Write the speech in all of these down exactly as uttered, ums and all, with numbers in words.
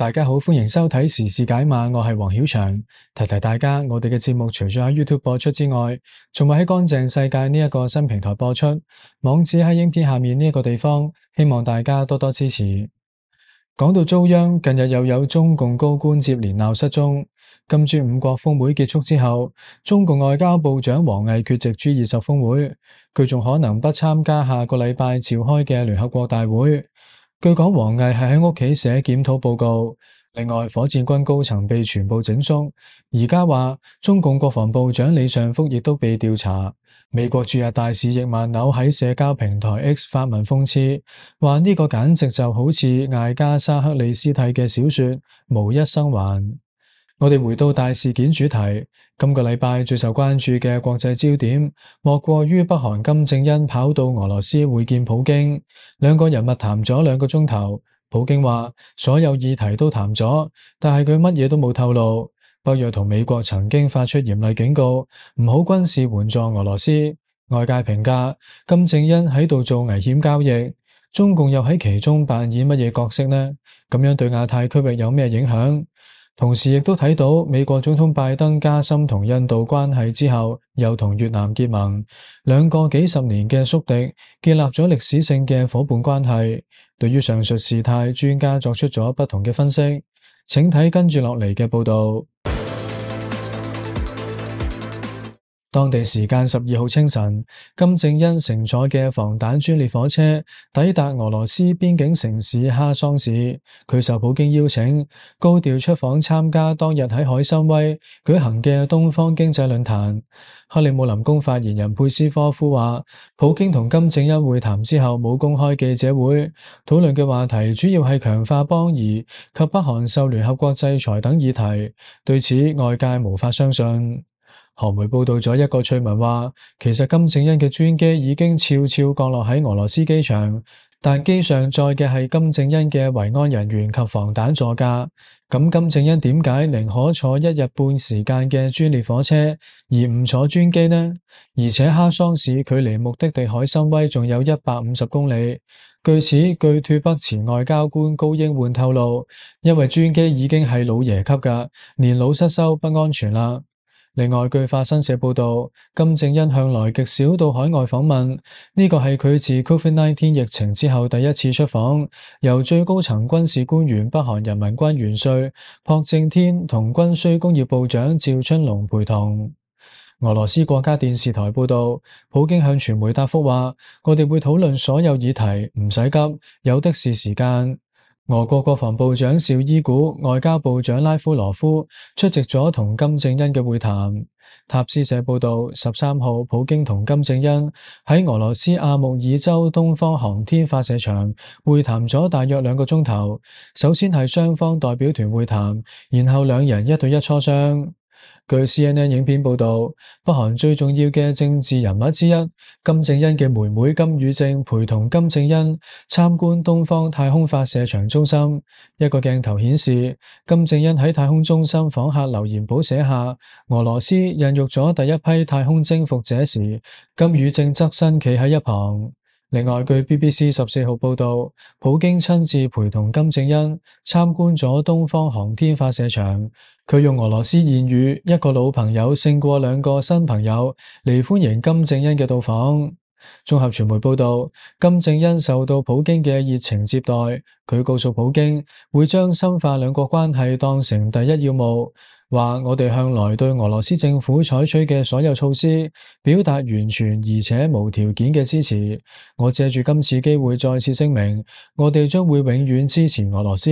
大家好，歡迎收睇時事解碼，我係黃曉翔。提提大家，我哋嘅節目除咗喺 YouTube 播出之外，仲會喺乾淨世界呢一個新平台播出，網址喺影片下面呢一個地方，希望大家多多支持。講到遭殃，近日又有中共高官接連鬧失蹤。金磚五國峰會結束之後，中共外交部長王毅缺席 G 二十峰會，佢仲可能不參加下個禮拜召開嘅聯合國大會。據講，王毅係喺屋企寫檢討報告。另外，火箭軍高層被全部整肅。而家話中共國防部長李尚福亦都被調查。美國駐日大使易萬紐喺社交平台 X 發文諷刺，話呢個簡直就好似艾加莎克里斯蒂嘅小說無一生還。我哋回到大事件主題，今個禮拜最受關注嘅國際焦點，莫過於北韓金正恩跑到俄羅斯會見普京，兩個人物談咗兩個鐘頭。普京話所有議題都談咗，但係佢乜嘢都冇透露。北約同美國曾經發出嚴厲警告，唔好軍事援助俄羅斯。外界評價金正恩喺度做危險交易，中共又喺其中扮演乜嘢角色呢？咁樣對亞太區域有咩影響？同時亦都睇到美國總統拜登加深同印度關係之後，又同越南結盟，兩個幾十年嘅宿敵建立咗歷史性嘅夥伴關係。對於上述事態，專家作出咗不同嘅分析，請睇跟住落嚟嘅報道。當地時間十二號清晨，金正恩乘坐嘅防彈專列火車抵達俄羅斯邊境城市哈桑市，佢受普京邀請，高調出訪參加當日喺海參崴舉行嘅東方經濟論壇。克里姆林宮發言人佩斯科夫話，普京同金正恩會談之後冇公開記者會，討論嘅話題主要係強化邦誼及北韓受聯合國制裁等議題，對此外界無法相信。韓媒報道咗一個趣聞話，其實金正恩嘅專機已經悄悄降落喺俄羅斯機場，但機上載嘅係金正恩嘅維安人員及防彈座駕。咁金正恩點解寧可坐一日半時間嘅專列火車，而唔坐專機呢？而且哈桑市距離目的地海參崴仲有一百五十公里。據此，據脫北前外交官高英煥透露，因為專機已經係老爺級㗎，年老失修不安全啦。另外，據法新社報道，金正恩向來極少到海外訪問，呢個係佢自 Covid 十九 疫情之後第一次出訪，由最高層軍事官員北韓人民軍元帥朴正天同軍需工業部長趙春龍陪同。俄羅斯國家電視台報道，普京向傳媒答覆話：我哋會討論所有議題，唔使急，有的是時間。俄國國防部長紹伊古、外交部長拉夫羅夫出席咗同金正恩嘅會談。塔斯社報道，十三號普京同金正恩喺俄羅斯阿穆爾州東方航天發射場會談咗大約兩個鐘頭。首先係雙方代表團會談，然後兩人一對一磋商。據 C N N 影片報道，北韓最重要嘅政治人物之一金正恩嘅妹妹金與正陪同金正恩參觀東方太空發射場中心。一個鏡頭顯示，金正恩喺太空中心訪客留言簿寫下俄羅斯孕育咗第一批太空征服者時，金與正側身企喺一旁。另外，據 B B C 十四號報道，普京親自陪同金正恩參觀咗東方航天發射場。佢用俄羅斯諺語一個老朋友勝過兩個新朋友嚟歡迎金正恩嘅到訪。綜合傳媒報道，金正恩受到普京嘅熱情接待，佢告訴普京會將深化兩國關係當成第一要務，話我哋向來對俄羅斯政府採取嘅所有措施表達完全而且無條件嘅支持。我借住今次機會再次聲明，我哋將會永遠支持俄羅斯，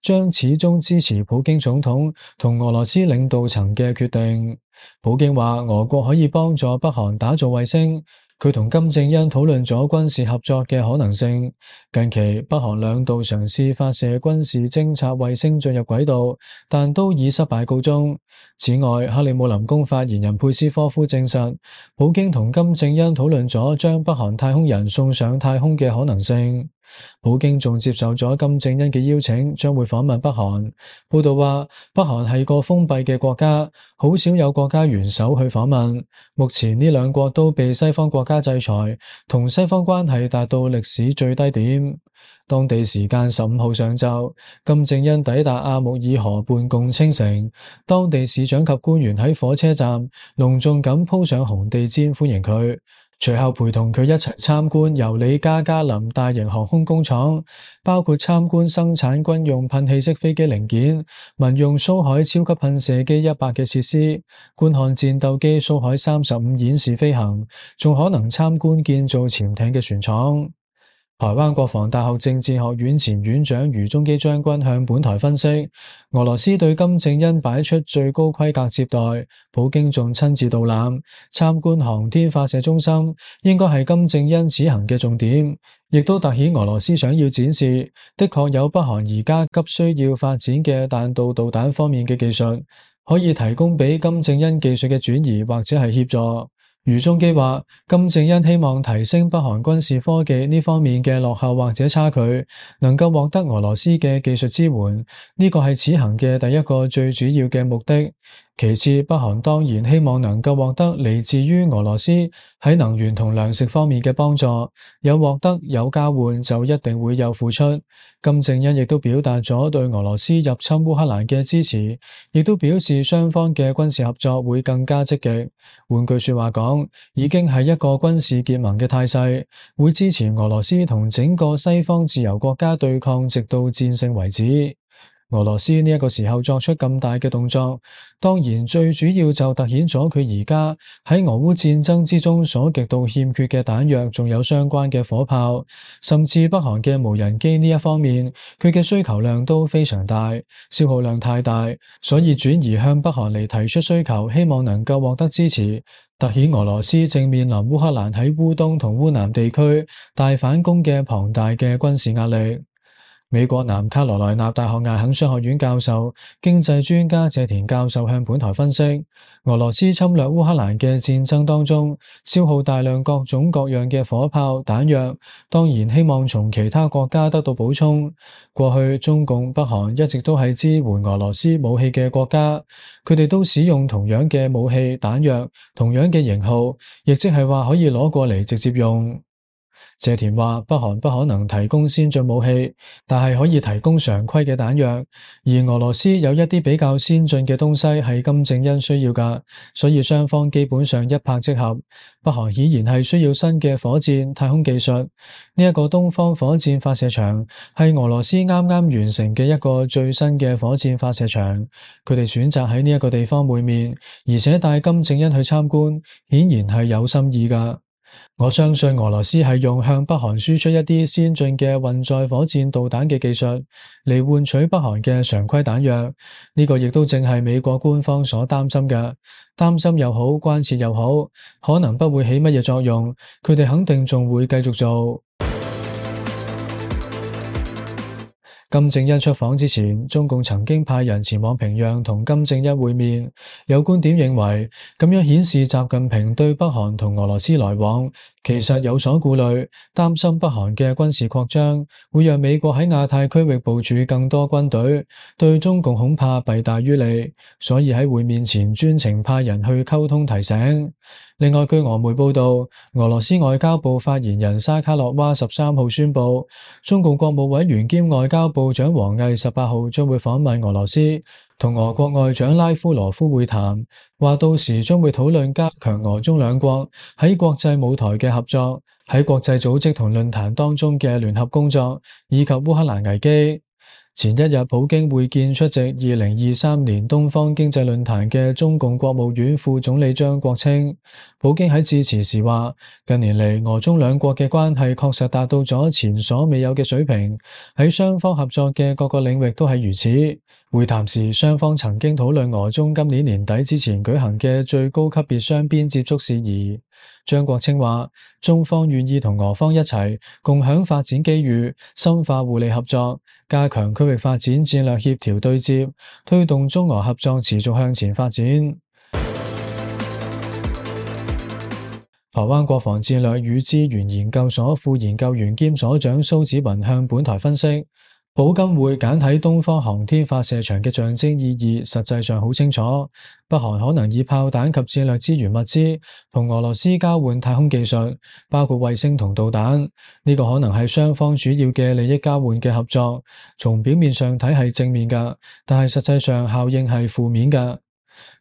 將始終支持普京總統同俄羅斯領導層嘅決定。普京話俄國可以幫助北韓打造衛星。佢同金正恩討論咗軍事合作嘅可能性。近期北韓兩度嘗試發射軍事偵察衛星進入軌道，但都以失敗告終。此外，克里姆林宮發言人佩斯科夫證實，普京同金正恩討論咗將北韓太空人送上太空嘅可能性。普京仲接受咗金正恩嘅邀請，將會訪問北韓。報道話，北韓係個封閉嘅國家，好少有國家元首去訪問。目前呢兩國都被西方國家制裁，同西方關係達到歷史最低點。當地時間十五號上晝，金正恩抵達阿穆爾河畔共青城，當地市長及官員喺火車站隆重咁鋪上紅地毯歡迎佢，隨後陪同佢一齊參觀由里加加林大型航空工廠，包括參觀生產軍用噴氣式飛機零件、民用蘇海超級噴射機一百嘅設施，觀看戰鬥機蘇海三十五演示飛行，仲可能參觀建造潛艇嘅船廠。台灣國防大學政治學院前院長余宗基將軍向本台分析，俄羅斯對金正恩擺出最高規格接待，普京仲親自導覽參觀航天發射中心，應該係金正恩此行嘅重點，亦都凸顯俄羅斯想要展示，的確有北韓而家急需要發展嘅彈道導彈方面嘅技術，可以提供俾金正恩技術嘅轉移或者係協助。余宗基話，金正恩希望提升北韓軍事科技呢方面嘅落後或者差距，能夠獲得俄羅斯嘅技術支援，呢個係此行嘅第一個最主要嘅目的。其次，北韓當然希望能夠獲得嚟自於俄羅斯喺能源同糧食方面嘅幫助，有獲得有交換就一定會有付出。金正恩亦都表達咗對俄羅斯入侵烏克蘭嘅支持，亦都表示雙方嘅軍事合作會更加積極。換句說話講，已經係一個軍事結盟嘅態勢，會支持俄羅斯同整個西方自由國家對抗，直到戰勝為止。俄羅斯呢一個時候作出咁大嘅動作，當然最主要就凸顯咗佢而家喺俄烏戰爭之中所極度欠缺嘅彈藥，仲有相關嘅火炮，甚至北韓嘅無人機呢一方面，佢嘅需求量都非常大，消耗量太大，所以轉移向北韓嚟提出需求，希望能夠獲得支持，凸顯俄羅斯正面臨烏克蘭喺烏東同烏南地區大反攻嘅龐大嘅軍事壓力。美國南卡羅來納大學艾肯商學院教授、經濟專家謝田教授向本台分析，俄羅斯侵略烏克蘭嘅戰爭當中，消耗大量各種各樣嘅火炮彈藥，當然希望從其他國家得到補充。過去中共、北韓一直都係支援俄羅斯武器嘅國家，佢哋都使用同樣嘅武器彈藥、同樣嘅型號，亦即係話可以攞過嚟直接用。謝田話，北韓不可能提供先進武器，但係可以提供常規嘅彈藥，而俄羅斯有一啲比較先進嘅東西係金正恩需要㗎，所以雙方基本上一拍即合。北韓顯然係需要新嘅火箭太空技術，呢一個東方火箭發射場係俄羅斯啱啱完成嘅一個最新嘅火箭發射場，佢哋選擇喺呢一個地方會面，而且帶金正恩去參觀，顯然係有心意㗎。我相信俄羅斯係用向北韓輸出一啲先進嘅運載火箭導彈嘅技術嚟換取北韓嘅常規彈藥，呢個亦都正係美國官方所擔心嘅。擔心又好，關切又好，可能不會起乜嘢作用，佢哋肯定仲會繼續做。金正恩出訪之前，中共曾經派人前往平壤同金正恩會面。有觀點認為，咁樣顯示習近平對北韓同俄羅斯來往其實有所顧慮，擔心北韓嘅軍事擴張會讓美國喺亞太區域部署更多軍隊，對中共恐怕弊大於利，所以喺會面前專程派人去溝通提醒。另外，據俄媒報道，俄羅斯外交部發言人沙卡洛娃十三號宣布，中共國務委員兼外交部長王毅十八號將會訪問俄羅斯，同俄國外長拉夫羅夫會談，話到時將會討論加強俄中兩國喺國際舞台嘅合作，喺國際組織同論壇當中嘅聯合工作，以及烏克蘭危機。前一日，普京會見出席二零二三年東方經濟論壇嘅中共國務院副總理張國清。普京喺致辭時話，近年嚟俄中兩國嘅關係確實達到咗前所未有嘅水平，喺雙方合作嘅各個領域都係如此。會談時，雙方曾經討論俄中今年年底之前舉行嘅最高級別雙邊接觸事宜。張國清話，中方願意同俄方一齊共享發展機遇，深化互利合作，加強區域發展戰略協調對接，推動中俄合作持續向前發展。台灣國防戰略與資源研究所副研究員兼所長蘇紫雲向本台分析，寶金會簡體東方航天發射場嘅象徵意義實際上好清楚，北韓可能以炮彈及戰略資源物資同俄羅斯交換太空技術，包括衛星同導彈，呢個可能係雙方主要嘅利益交換嘅合作。從表面上睇係正面㗎，但係實際上效應係負面㗎。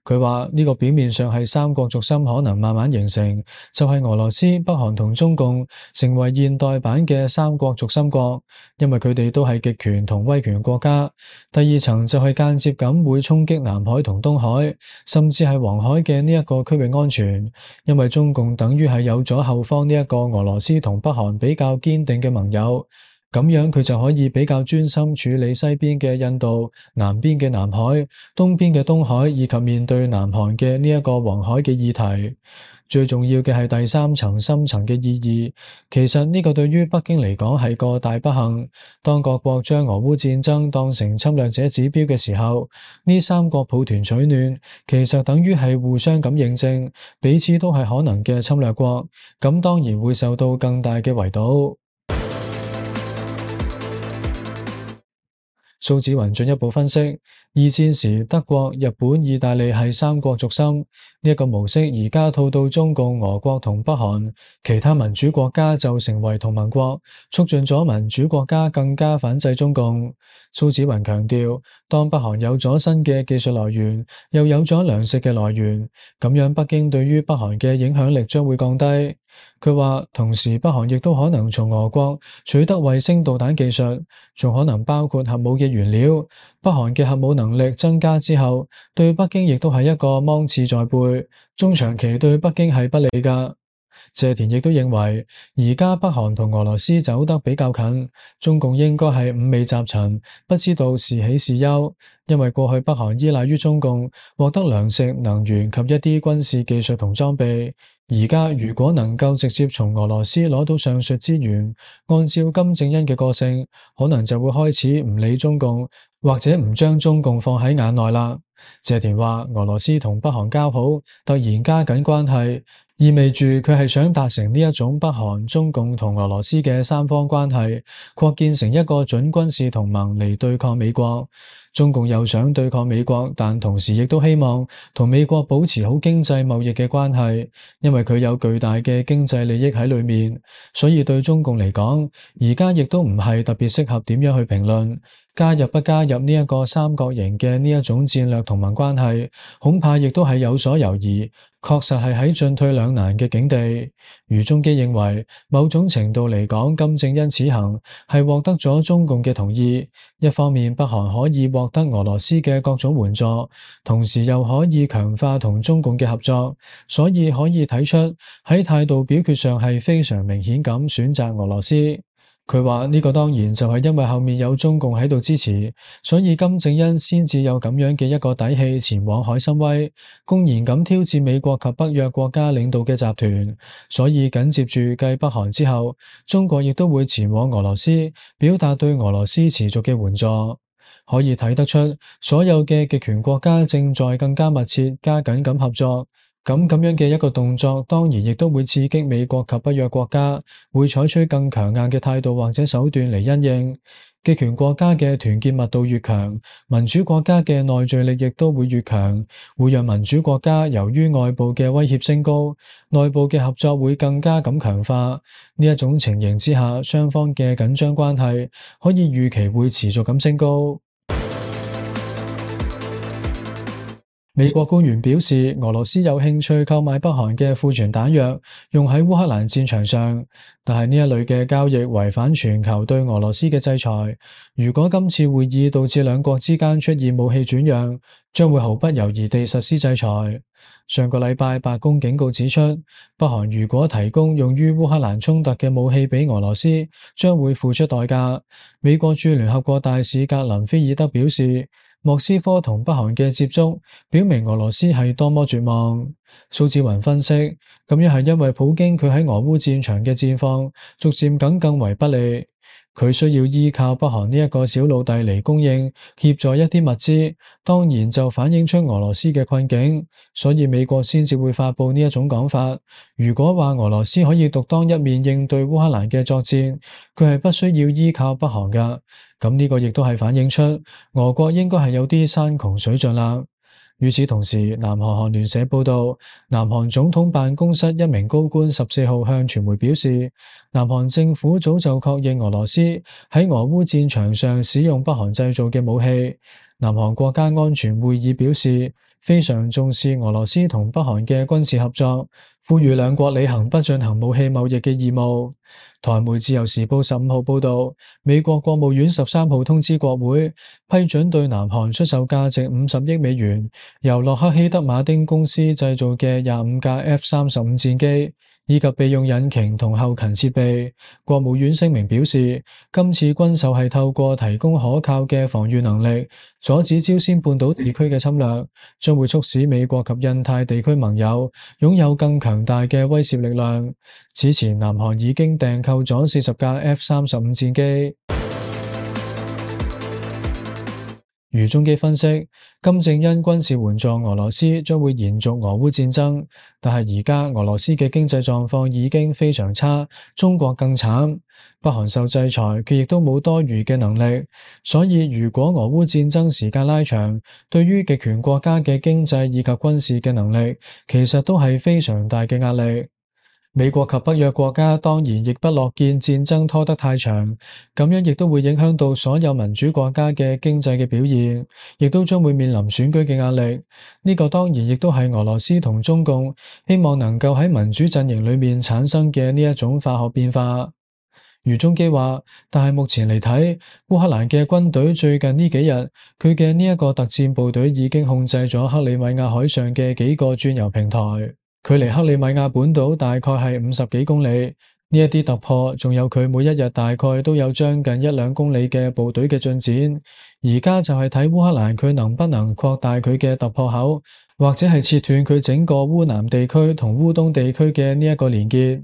佢話呢個表面上係三國軸心可能慢慢形成，就係俄羅斯、北韓同中共成為現代版嘅三國軸心國，因為佢哋都係極權同威權國家。第二層就係間接咁會衝擊南海同東海，甚至係黃海嘅呢一個區域安全，因為中共等於係有咗後方呢一個俄羅斯同北韓比較堅定嘅盟友。咁樣佢就可以比較專心處理西邊嘅印度、南邊嘅南海、東邊嘅東海，以及面對南韓嘅呢一個黃海嘅議題。最重要嘅係第三層深層嘅意義。其實呢個對於北京嚟講係個大不幸。當各國將俄烏戰爭當成侵略者指標嘅時候，呢三國抱團取暖，其實等於係互相咁認證彼此都係可能嘅侵略國，咁當然會受到更大嘅圍堵。蘇紫雲進一步分析，二戰時德國、日本、意大利係三國軸心，呢一個模式而家套到中共、俄國同北韓，其他民主國家就成為同盟國，促進咗民主國家更加反制中共。蘇紫雲強調，當北韓有咗新嘅技術來源，又有咗糧食嘅來源，咁樣北京對於北韓嘅影響力將會降低。佢話，同時北韓亦都可能從俄國取得衛星導彈技術，仲可能包括核武嘅原料。北韓嘅核武能力增加之後，對北京亦都係一個芒刺在背，中長期對北京係不利㗎。謝田亦都認為，而家北韓同俄羅斯走得比較近，中共應該係五味雜陳，不知道是喜是憂，因為過去北韓依賴於中共獲得糧食、能源及一啲軍事技術同裝備。而家如果能夠直接從俄羅斯攞到上述資源，按照金正恩嘅個性，可能就會開始唔理中共，或者唔將中共放喺眼內啦。謝田話，俄羅斯同北韓交好，突然加緊關係，意味住佢係想達成呢一種北韓、中共同俄羅斯嘅三方關係，擴建成一個準軍事同盟嚟對抗美國。中共又想對抗美國，但同時亦都希望同美國保持好經濟貿易嘅關係，因為佢有巨大嘅經濟利益喺裏面。所以對中共嚟講，而家亦都唔係特別適合點樣去評論加入不加入呢一個三角形嘅呢一種戰略同盟關係，恐怕亦都係有所猶豫。確實係喺進退兩難嘅境地。余中基認為，某種程度嚟講，金正恩此行係獲得咗中共嘅同意。一方面，北韓可以獲得俄羅斯嘅各種援助，同時又可以強化同中共嘅合作，所以可以睇出喺態度表決上係非常明顯咁選擇俄羅斯。佢話呢個當然就係因為後面有中共喺度支持，所以金正恩先至有咁樣嘅一個底氣前往海參崴，公然咁挑戰美國及北約國家領導嘅集團。所以緊接住繼北韓之後，中國亦都會前往俄羅斯，表達對俄羅斯持續嘅援助。可以睇得出，所有嘅極權國家正在更加密切、加緊咁合作。咁咁樣嘅一個動作，當然亦都會刺激美國及北約國家，會採取更強硬嘅態度或者手段嚟因應。極權國家嘅團結密度越強，民主國家嘅內聚力亦都會越強，會讓民主國家由於外部嘅威脅升高，內部嘅合作會更加咁強化。呢一種情形之下，雙方嘅緊張關係可以預期會持續咁升高。美國官員表示，俄羅斯有興趣購買北韓嘅庫存彈藥，用喺烏克蘭戰場上，但係呢一類嘅交易違反全球對俄羅斯嘅制裁。如果今次會議導致兩國之間出現武器轉讓，將會毫不猶豫地實施制裁。上個禮拜，白宮警告指出，北韓如果提供用於烏克蘭衝突嘅武器俾俄羅斯，將會付出代價。美國駐聯合國大使格林菲爾德表示，莫斯科同北韓嘅接觸表明俄羅斯係多麼絕望。蘇紫雲分析，咁樣係因為普京佢喺俄烏戰場嘅戰況逐漸緊更為不利。佢需要依靠北韓呢一個小老弟嚟供應協助一啲物資，當然就反映出俄羅斯嘅困境，所以美國先至會發佈呢一種講法。如果話俄羅斯可以獨當一面應對烏克蘭嘅作戰，佢係不需要依靠北韓噶，咁呢個亦都係反映出俄國應該係有啲山窮水盡啦。與此同時，南韓韓聯社報道，南韓總統辦公室一名高官十四號向傳媒表示，南韓政府早就確認俄羅斯喺俄烏戰場上使用北韓製造嘅武器。南韓國家安全會議表示，非常重視俄羅斯同北韓嘅軍事合作，呼籲兩國履行不進行武器貿易嘅義務。台媒自由時報十五號報道，美國國務院十三號通知國會，批准對南韓出售價值五十億美元，由洛克希德馬丁公司製造嘅廿五架 F 三十五戰機，以及備用引擎同後勤設備。國務院聲明表示，今次軍售係透過提供可靠嘅防禦能力，阻止朝鮮半島地區嘅侵略，將會促使美國及印太地區盟友擁有更強大嘅威懾力量。此前，南韓已經訂購咗四十架 F 三十五戰機。余中基分析，金正恩軍事援助俄羅斯將會延續俄烏戰爭，但係而家俄羅斯嘅經濟狀況已經非常差，中國更慘。北韓受制裁，佢亦都冇多餘嘅能力，所以如果俄烏戰爭時間拉長，對於極權國家嘅經濟以及軍事嘅能力，其實都係非常大嘅壓力。美國及北約國家當然亦不樂見戰爭拖得太長，咁樣亦都會影響到所有民主國家嘅經濟嘅表現，亦都將會面臨選舉嘅壓力。呢個當然亦都係俄羅斯同中共希望能夠喺民主陣營裏面產生嘅呢一種化學變化。余中基話，但係目前嚟睇，烏克蘭嘅軍隊最近呢幾日，佢嘅呢一個特戰部隊已經控制咗克里米亞海上嘅幾個轉油平台。距離克里米亞本島大概係五十幾公里，呢一啲突破，仲有佢每一日大概都有將近一兩公里嘅部隊嘅進展。而家就係睇烏克蘭佢能不能擴大佢嘅突破口，或者係切斷佢整個烏南地區同烏東地區嘅呢一個連結，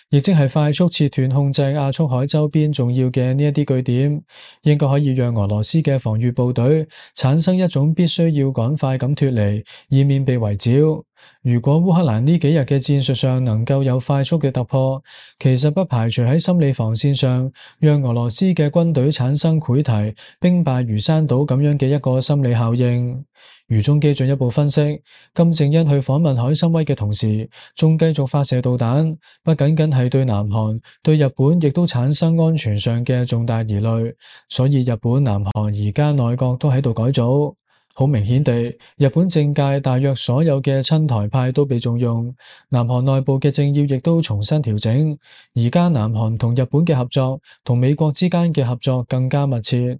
亦即係快速切斷控制亞速海周邊重要嘅呢一啲據點，應該可以讓俄羅斯嘅防禦部隊產生一種必須要趕快咁脫離，以免被圍剿。如果烏克蘭呢幾日嘅戰術上能夠有快速嘅突破，其實不排除喺心理防線上，讓俄羅斯嘅軍隊產生潰堤、兵敗如山倒咁樣嘅一個心理效應。余中基進一步分析，金正恩去訪問海參崴嘅同時，仲繼續發射導彈，不僅僅係對南韓、對日本亦都產生安全上嘅重大疑慮，所以日本、南韓而家內閣都喺度改組。好明顯地，日本政界大約所有嘅親台派都被重用，南韓內部嘅政要亦都重新調整。而家南韓同日本嘅合作，同美國之間嘅合作更加密切。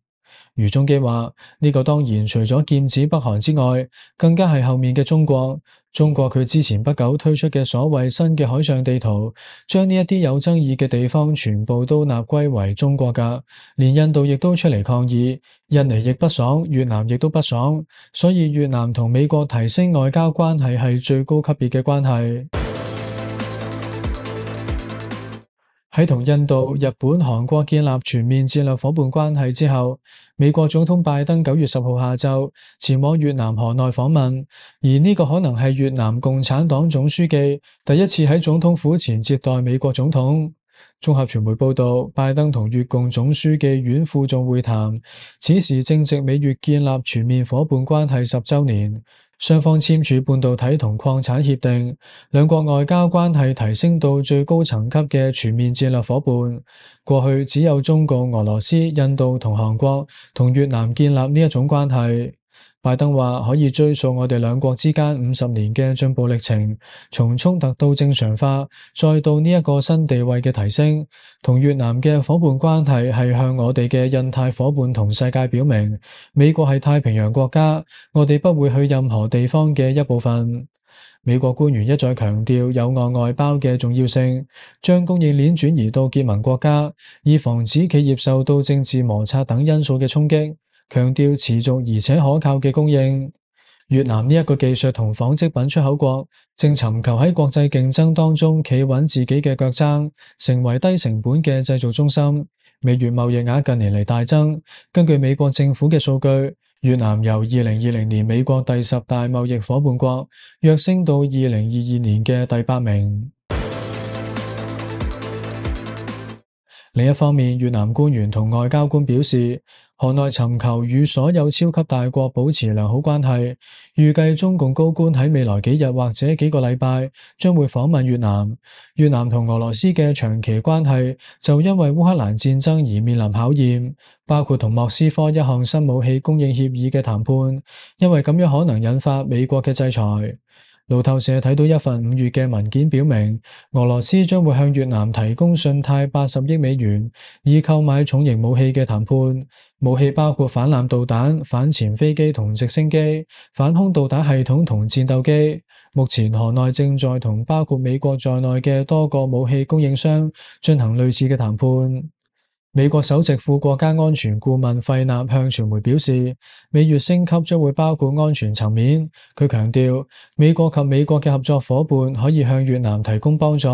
余中基話：呢個當然除咗劍指北韓之外，更加係後面嘅中國。中國佢之前不久推出嘅所謂新嘅海上地圖，將呢一啲有爭議嘅地方全部都納歸為中國㗎，連印度亦都出嚟抗議，印尼亦不爽，越南亦都不爽，所以越南同美國提升外交關係係最高級別嘅關係。喺同印度、日本、韓國建立全面戰略夥伴關係之後，美國總統拜登九月十號下晝前往越南河內訪問，而呢個可能係越南共產黨總書記第一次喺總統府前接待美國總統。綜合傳媒報道，拜登同越共總書記阮富仲會談，此時正值美越建立全面夥伴關係十週年。雙方簽署半導體同礦產協定，兩國外交關係提升到最高層級嘅全面戰略夥伴。過去只有中共、俄羅斯、印度同韓國同越南建立呢一種關係。拜登話可以追溯我哋兩國之間五十年嘅進步歷程，從衝突到正常化，再到呢一個新地位嘅提升。同越南嘅夥伴關係係向我哋嘅印太夥伴同世界表明，美國係太平洋國家，我哋不會去任何地方嘅一部分。美國官員一再強調友岸外包嘅重要性，將供應鏈轉移到結盟國家，以防止企業受到政治摩擦等因素嘅衝擊。強調持續而且可靠嘅供應。越南呢一個技術同紡織品出口國，正尋求喺國際競爭當中企穩自己嘅腳踭，成為低成本嘅製造中心。美越貿易額近年嚟大增。根據美國政府嘅數據，越南由二零二零年美國第十大貿易夥伴國躍升到二零二二年嘅第八名。另一方面，越南官員同外交官表示，河內尋求與所有超級大國保持良好關係，預計中共高官喺未來幾日或者幾個禮拜將會訪問越南。越南同俄羅斯嘅長期關係就因為烏克蘭戰爭而面臨考驗，包括同莫斯科一項新武器供應協議嘅談判，因為咁樣可能引發美國嘅制裁。路透社睇到一份五月嘅文件，表明俄羅斯將會向越南提供信貸八十億美元，以購買重型武器嘅談判。武器包括反艦導彈、反潛飛機同直升機、反空導彈系統同戰鬥機。目前河內正在同包括美國在內嘅多個武器供應商進行類似嘅談判。美國首席副國家安全顧問費納向傳媒表示，美越升級將會包括安全層面。佢強調，美國及美國嘅合作夥伴可以向越南提供幫助，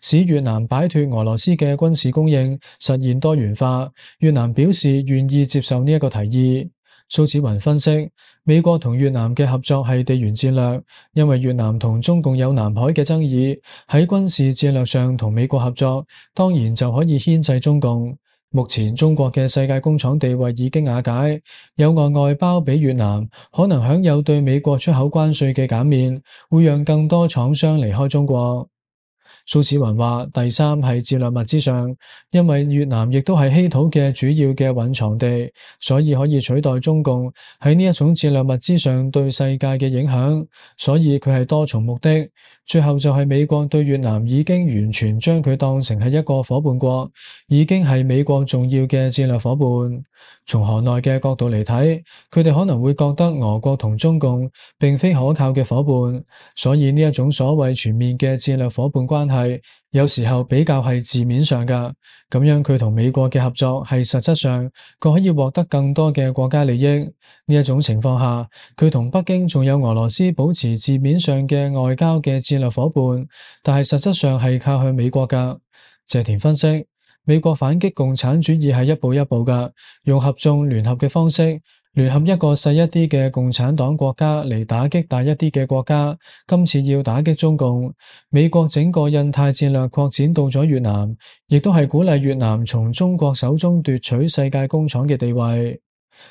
使越南擺脫俄羅斯嘅軍事供應，實現多元化。越南表示願意接受呢一個提議。蘇紫雲分析，美國同越南嘅合作係地緣戰略，因為越南同中共有南海嘅爭議，喺軍事戰略上同美國合作，當然就可以牽制中共。目前中國嘅世界工廠地位已經瓦解，有外外包俾越南，可能享有對美國出口關稅嘅減免，會讓更多廠商離開中國。蘇紫雲話：第三係戰略物資上，因為越南亦都係稀土嘅主要嘅蘊藏地，所以可以取代中共喺呢一種戰略物資上對世界嘅影響，所以佢係多重目的。最後就係美國對越南已經完全將佢當成係一個夥伴國，已經係美國重要嘅戰略夥伴。從河內嘅角度嚟睇，佢哋可能會覺得俄國同中共並非可靠嘅夥伴，所以呢一種所謂全面嘅戰略夥伴關係，有時候比較係字面上㗎。咁樣佢同美國嘅合作係實質上佢可以獲得更多嘅國家利益。呢一種情況下，佢同北京仲有俄羅斯保持字面上嘅外交嘅戰略夥伴，但係實質上係靠向美國㗎。謝田分析，美國反擊共產主義係一步一步㗎，用合縱聯合嘅方式，聯合一個細一啲嘅共產黨國家嚟打擊大一啲嘅國家。今次要打擊中共，美國整個印太戰略擴展到咗越南，亦都係鼓勵越南從中國手中奪取世界工廠嘅地位。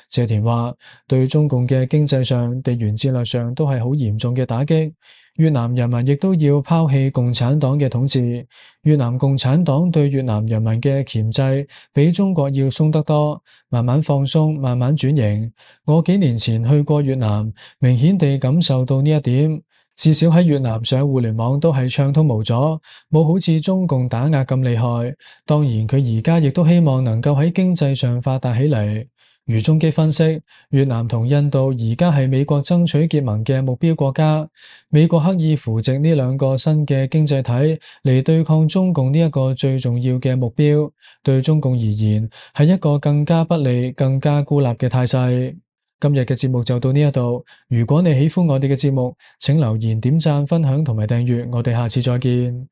謝田話，對中共嘅經濟上、地緣戰略上都係好嚴重嘅打擊。越南人民亦都要拋棄共產黨嘅統治。越南共產黨對越南人民嘅鉗制比中國要鬆得多，慢慢放鬆，慢慢轉型。我幾年前去過越南，明顯地感受到呢一點。至少喺越南上互聯網都係暢通無阻，冇好似中共打壓咁厲害。當然佢而家亦都希望能夠喺經濟上發達起嚟。余中基分析，越南同印度而家係美國爭取結盟嘅目標國家，美國刻意扶植呢兩個新嘅經濟體嚟對抗中共呢一個最重要嘅目標，對中共而言係一個更加不利、更加孤立嘅態勢。今日嘅節目就到呢一度，如果你喜歡我哋嘅節目，請留言、點讚、分享同埋訂閱，我哋下次再見。